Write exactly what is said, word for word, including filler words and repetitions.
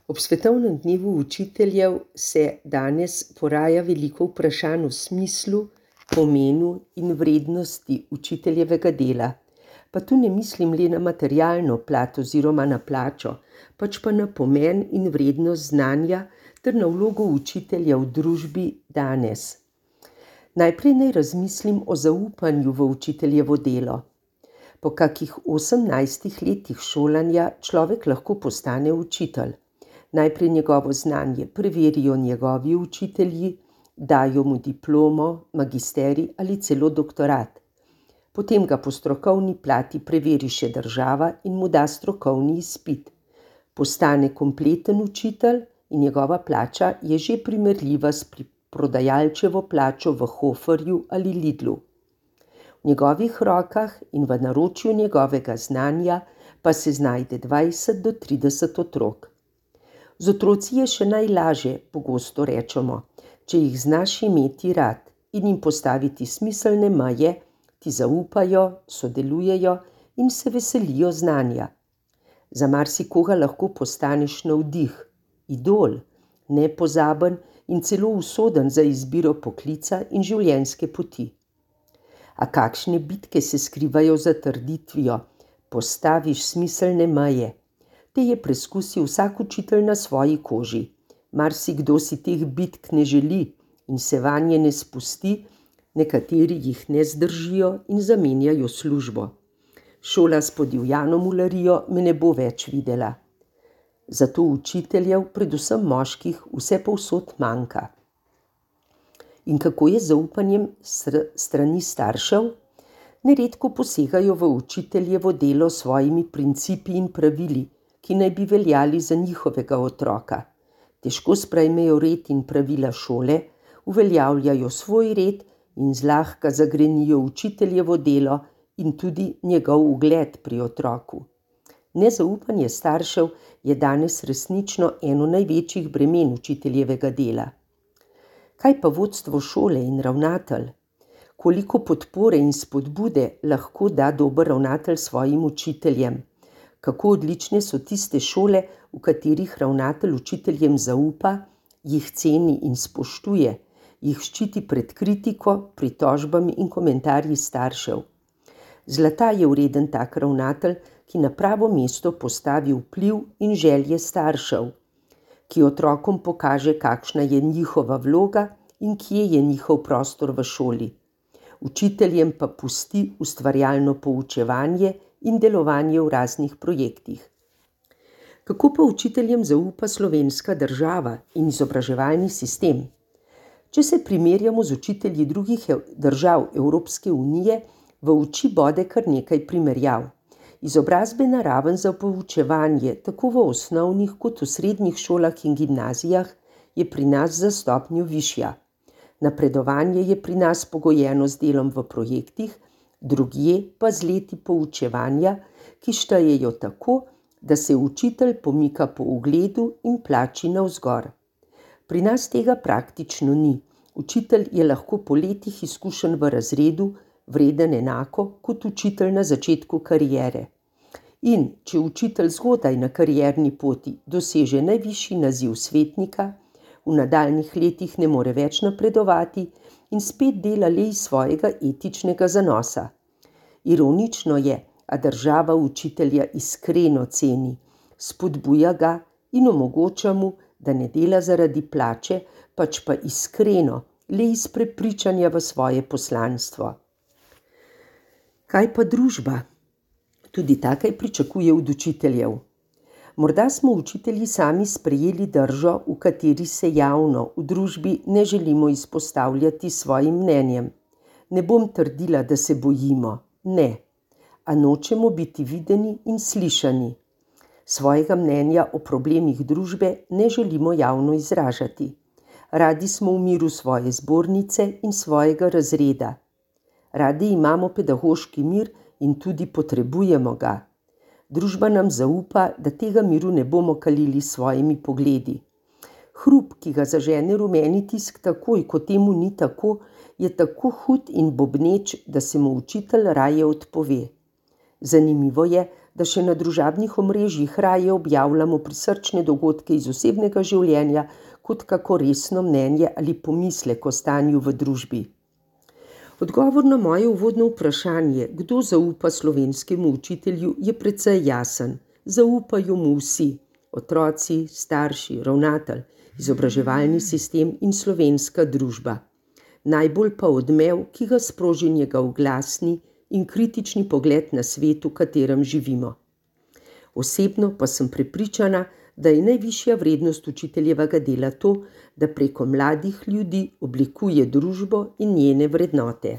Ob svetovnem dnevu učiteljev se danes poraja veliko vprašanj o smislu, pomenu in vrednosti učiteljevega dela. Pa tu ne mislim le na materialno plat oziroma na plačo, pač pa na pomen in vrednost znanja ter na vlogo učitelja v družbi danes. Najprej naj razmislim o zaupanju v učiteljevo delo. Po kakih osemnajstih letih šolanja človek lahko postane učitelj. Najprej njegovo znanje preverijo njegovi učitelji, dajo mu diplomo, magisterij ali celo doktorat. Potem ga po strokovni plati preveri še država in mu da strokovni izpit. Postane kompleten učitelj in njegova plača je že primerljiva s prodajalčevo plačo v Hoferju ali Lidlu. V njegovih rokah in v naročju njegovega znanja pa se znajde dvajset do trideset otrok. Z otroci je še najlažje, pogosto rečemo, če jih znaš imeti rad in jim postaviti smiselne meje, ti zaupajo, sodelujejo in se veselijo znanja. Za marsikoga lahko postaneš navdih, idol, nepozaben in celo usoden za izbiro poklica in življenjske poti. A kakšne bitke se skrivajo za trditvijo, postaviš smiselne meje? Te je preskusil vsak učitelj na svoji koži. Marsikdo si teh bitk ne želi in se vanje ne spusti, nekateri jih ne zdržijo in zamenjajo službo. Šola s podivjano mularijo me ne bo več videla. Zato učiteljev, predvsem moških, vse povsod manjka. In kako je z zaupanjem strani staršev? Neredko posegajo v učiteljevo delo s svojimi principi in pravili, ki naj bi veljali za njihovega otroka. Težko sprejmejo red in pravila šole, uveljavljajo svoj red in zlahka zagrenijo učiteljevo delo in tudi njegov ugled pri otroku. Nezaupanje staršev je danes resnično eno največjih bremen učiteljevega dela. Kaj pa vodstvo šole in ravnatelj? Koliko podpore in spodbude lahko da dober ravnatelj svojim učiteljem? Kako odlične so tiste šole, v katerih ravnatelj učiteljem zaupa, jih ceni in spoštuje, jih ščiti pred kritiko, pritožbami in komentarji staršev. Zlata je vreden tak ravnatelj, ki na pravo mesto postavi vpliv in želje staršev, ki otrokom pokaže, kakšna je njihova vloga in kje je njihov prostor v šoli. Učiteljem pa pusti ustvarjalno poučevanje in delovanje v raznih projektih. Kako pa učiteljem zaupa slovenska država in izobraževalni sistem? Če se primerjamo z učitelji drugih držav Evropske unije, v oči bode kar nekaj primerjav. Izobrazbena raven za poučevanje tako v osnovnih kot v srednjih šolah in gimnazijah je pri nas za stopnjo višja. Napredovanje je pri nas pogojeno z delom v projektih, drugje pa z leti poučevanja, ki štejejo tako, da se učitelj pomika po ugledu in plači navzgor. Pri nas tega praktično ni. Učitelj je lahko po letih izkušenj v razredu vreden enako kot učitelj na začetku kariere. In če učitelj zgodaj na karierni poti doseže najvišji naziv svetnika, v nadaljnjih letih ne more več napredovati in spet dela le iz svojega etičnega zanosa. Ironično je, a država učitelja iskreno ceni, spodbuja ga in omogoča mu, da ne dela zaradi plače, pač pa iskreno, le iz prepričanja v svoje poslanstvo. Kaj pa družba? Tudi takaj pričakuje od učiteljev. Morda smo učitelji sami sprejeli držo, v kateri se javno v družbi ne želimo izpostavljati svojim mnenjem. Ne bom trdila, da se bojimo, ne, a nočemo biti videni in slišani. Svojega mnenja o problemih družbe ne želimo javno izražati. Radi smo v miru svoje zbornice in svojega razreda. Radi imamo pedagoški mir in tudi potrebujemo ga. Družba nam zaupa, da tega miru ne bomo kalili s svojimi pogledi. Hrup, ki ga zažene rumeni tisk takoj, ko temu ni tako, je tako hud in bobneč, da se mu učitelj raje odpove. Zanimivo je, da še na družabnih omrežjih raje objavljamo prisrčne dogodke iz osebnega življenja, kot kako resno mnenje ali pomislek o stanju v družbi. Odgovor na moje uvodno vprašanje, kdo zaupa slovenskemu učitelju, je precej jasen. Zaupajo mu vsi, otroci, starši, ravnatelj, izobraževalni sistem in slovenska družba. Najbolj pa odmev, ki ga sproži njegov glasni in kritični pogled na svet, v katerem živimo. Osebno pa sem prepričana, da je najvišja vrednost učiteljevega dela to, da preko mladih ljudi oblikuje družbo in njene vrednote.